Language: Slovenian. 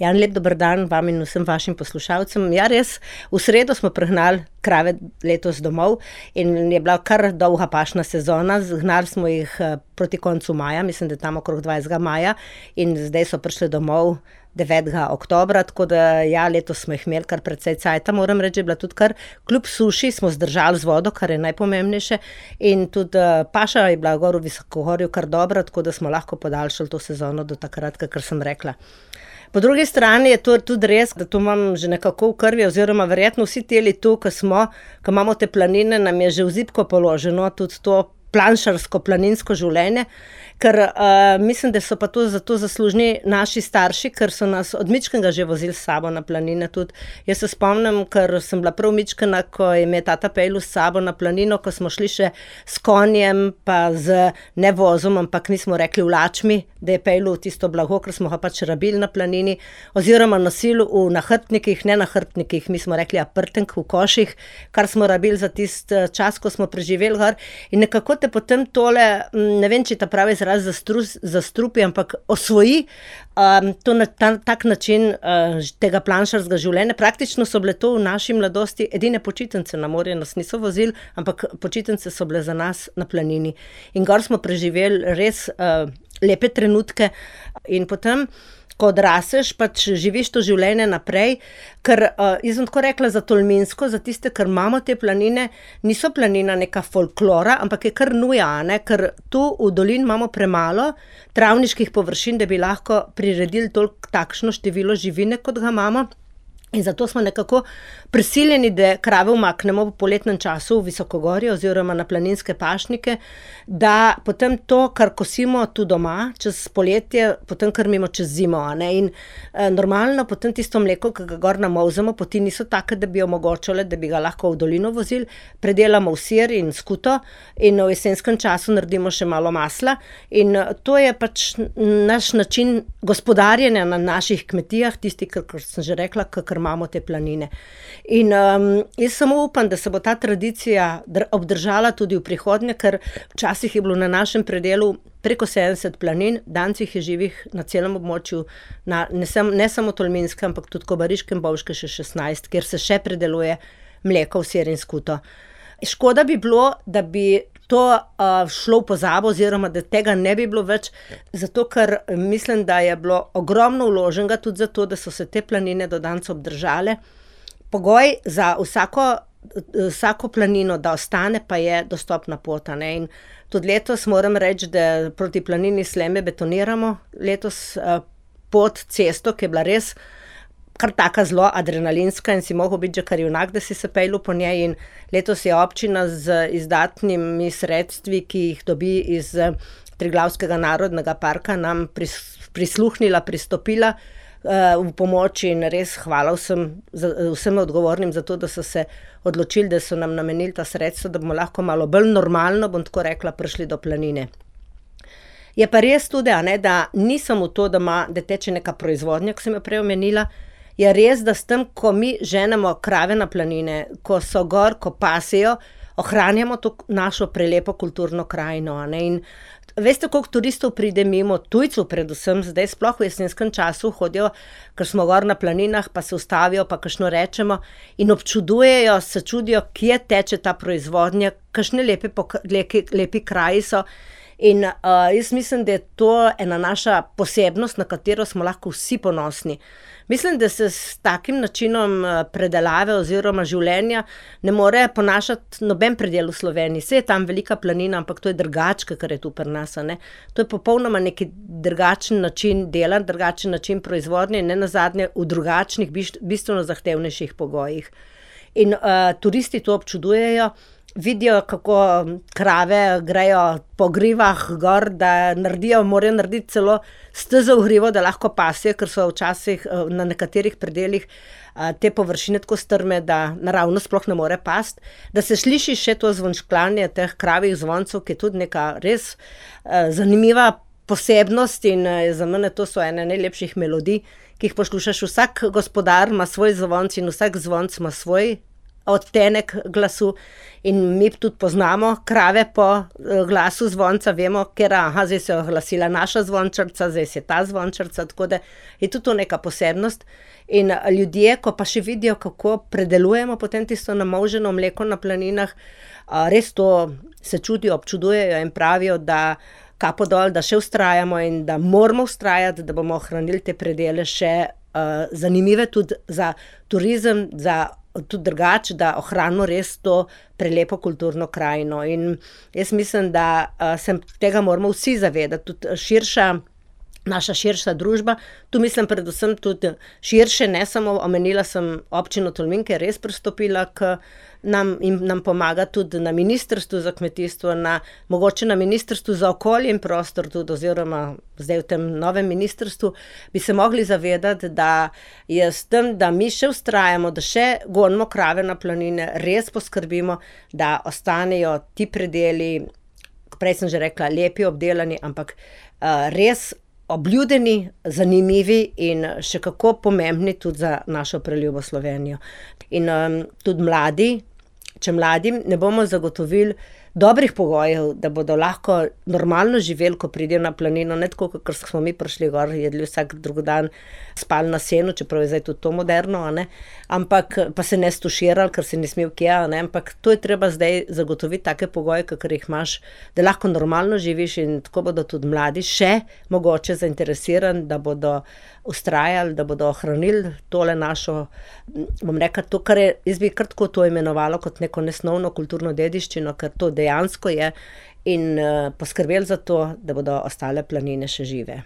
Ja, lep dober dan vam in vsem vašim poslušalcem. Ja, res, v sredo smo pregnali krave letos domov in je bila kar dolga pašna sezona. Gnali smo jih proti koncu maja, mislim, da tam okrog 20. maja in zdaj so prišli domov 9. oktobra, tako da ja, letos smo jih imeli kar precej cajta, moram reči, je bila tudi kar, kljub suši smo zdržali z vodo, kar je najpomembnejše in tudi paša je bila gor v Visokogorju kar dobra, tako da smo lahko podaljšali to sezono do takrat, kakor sem rekla. Po drugi strani je to tudi res, da to imam že nekako v krvi, oziroma verjetno vsi teli tu, ko imamo te planine, nam je že v zibko položeno tudi to planšarsko, planinsko življenje, ker mislim, da so pa to zato zaslužni naši starši, ker so nas od mičkega že vozili s sabo na planine tudi. Jaz se spomnim, ker sem bila prav mičkena, ko je me tata peljal s sabo na planino, ko smo šli še s konjem, pa z ne vozom, ampak nismo rekli vlačmi, da je peljal tisto blago, ker smo ga pač rabili na planini, oziroma nosili v nahrbtnikih, ne nahrbtnikih, mi smo rekli prtenk v koših, kar smo rabili za tist čas, ko smo preživeli gor. In nekako te potem tole, ne vem, če ta pravi izraz zastrupi, ampak osvoji to na tak način tega planšarskega življenja. Praktično so bile to v naši mladosti edine počitnice, na morje nas niso vozili, ampak počitnice so bile za nas na planini. In gor smo preživeli res lepe trenutke in potem, ko odraseš, pač živiš to življenje naprej, ker jaz sem tako rekla za Tolminsko, za tiste, ker imamo te planine, niso planina neka folklora, ampak je kar nuja, ne? Ker tu v dolini imamo premalo travniških površin, da bi lahko priredili takšno število živine, kot ga imamo. In zato smo nekako prisiljeni, da krave umaknemo v poletnem času v Visokogorje oziroma na planinske pašnike, da potem to, kar kosimo tu doma, čez poletje, potem krmimo čez zimo. Ne? In normalno potem tisto mleko, ki ga gor namolzemo, poti niso take, da bi omogočale, da bi ga lahko v dolino vozili, predelamo v sir in skuto in v jesenskem času naredimo še malo masla. In to je pač naš način gospodarjenja na naših kmetijah, tisti, kot sem že rekla, kakor imamo te planine. In jaz samo upam, da se bo ta tradicija obdržala tudi v prihodnje, ker včasih je bilo na našem predelu preko 70 planin, danes jih je živih na celem območju, ne samo Tolminske, ampak tudi Kobariške in Bovške še 16, kjer se še predeluje mleko v sir in skuto. Škoda bi bilo, da bi to šlo v pozabo, oziroma da tega ne bi bilo več, zato ker mislim, da je bilo ogromno vloženega tudi zato, da so se te planine do danes obdržale. Pogoj za vsako planino, da ostane, pa je dostopna pot. Ne? In tudi letos moram reči, da proti planini Sljeme betoniramo letos pot, cesto, ki je bila res kar taka zelo adrenalinska in si mogel biti že kar junak, da si se peljal po njej. In letos je občina z izdatnimi sredstvi, ki jih dobi iz Triglavskega narodnega parka, nam prisluhnila, pristopila v pomoč in res hvala vsem odgovornim za to, da so se odločili, da so nam namenili ta sredstva, da bomo lahko malo bolj normalno, bom tako rekla, prišli do planine. Je pa res tudi, da ni samo to, da teče neka proizvodnja, ko sem jo prej omenila, je res, da s tem, ko mi ženemo krave na planine, ko so gor, ko pasejo, ohranjamo to našo prelepo kulturno krajino. In veste, koliko turistov pride mimo, tujcev predvsem, zdaj sploh v jesenskem času hodijo, ker smo gor na planinah, pa se ustavijo, pa kakšno rečemo in občudujejo, se čudijo, kje teče ta proizvodnja, kakšne lepi kraji so. In jaz mislim, da je to ena naša posebnost, na katero smo lahko vsi ponosni. Mislim, da se s takim načinom predelave oziroma življenja ne more ponašati noben predel v Sloveniji. Saj je tam velika planina, ampak to je drugače, kar je tu pri nas. Ne? To je popolnoma neki drugačen način dela, drugačen način proizvodnje in nenazadnje v drugačnih, bistveno zahtevnejših pogojih. In turisti to občudujejo, vidijo, kako krave grejo po grivah gor, da morajo narediti celo stezo v hrivo, da lahko pasijo, ker so včasih na nekaterih predelih te površine tako strme, da naravno sploh ne more pasti. Da se sliši še to zvončklanje teh kravjih zvoncev, ki je tudi neka res zanimiva posebnost in za mene to so ene najlepših melodij, ki jih poslušaš. Vsak gospodar ima svoj zvonc in vsak zvonc ima svoj odtenek glasu in mi tudi poznamo krave po glasu zvonca, vemo, ker zdaj se je oglasila naša zvončarica, zdaj se je ta zvončarica, tako da je tudi to neka posebnost. In ljudje, ko pa še vidijo, kako predelujemo potem tisto namolženo mleko na planinah, res to se čudijo, občudujejo in pravijo, da kapo dol, da še vztrajamo in da moramo vztrajati, da bomo ohranili te predele še zanimive tudi za turizem, za tudi drugače, da ohranimo res to prelepo kulturno krajino. In jaz mislim, da se tega moramo vsi zavedati, tudi naša širša družba. Tu mislim predvsem tudi širše, ne samo omenila sem občino Tolmin, ki je res pristopila k nam in nam pomaga tudi na Ministrstvu za kmetijstvo, mogoče na Ministrstvu za okolje in prostor tudi, oziroma zdaj v tem novem ministrstvu, bi se mogli zavedati, da je s tem, da mi še vztrajamo, da še gonimo krave na planine, res poskrbimo, da ostanejo ti predeli, prej sem že rekla, lepi, obdelani, ampak res obljudeni, zanimivi in še kako pomembni tudi za našo preljubo Slovenijo. In tudi mladi, če mladim ne bomo zagotovili dobrih pogojev, da bodo lahko normalno živeli, ko pridejo na planino, ne tako, kot smo mi prišli gor, jedli vsak drugi dan, spali na senu, čeprav je zdaj tudi to moderno, ampak pa se ne stuširali, ker se ni smel kje, ampak to je treba zdaj zagotoviti take pogoje, kakor jih imaš, da lahko normalno živiš in tako bodo tudi mladi še mogoče zainteresirani, da bodo vztrajali, da bodo ohranili tole našo, bom rekla, to, kar je, jaz bi kar tako to imenovalo kot neko nesnovno kulturno dediščino, ker to dejansko je, in poskrbeli za to, da bodo ostale planine še žive.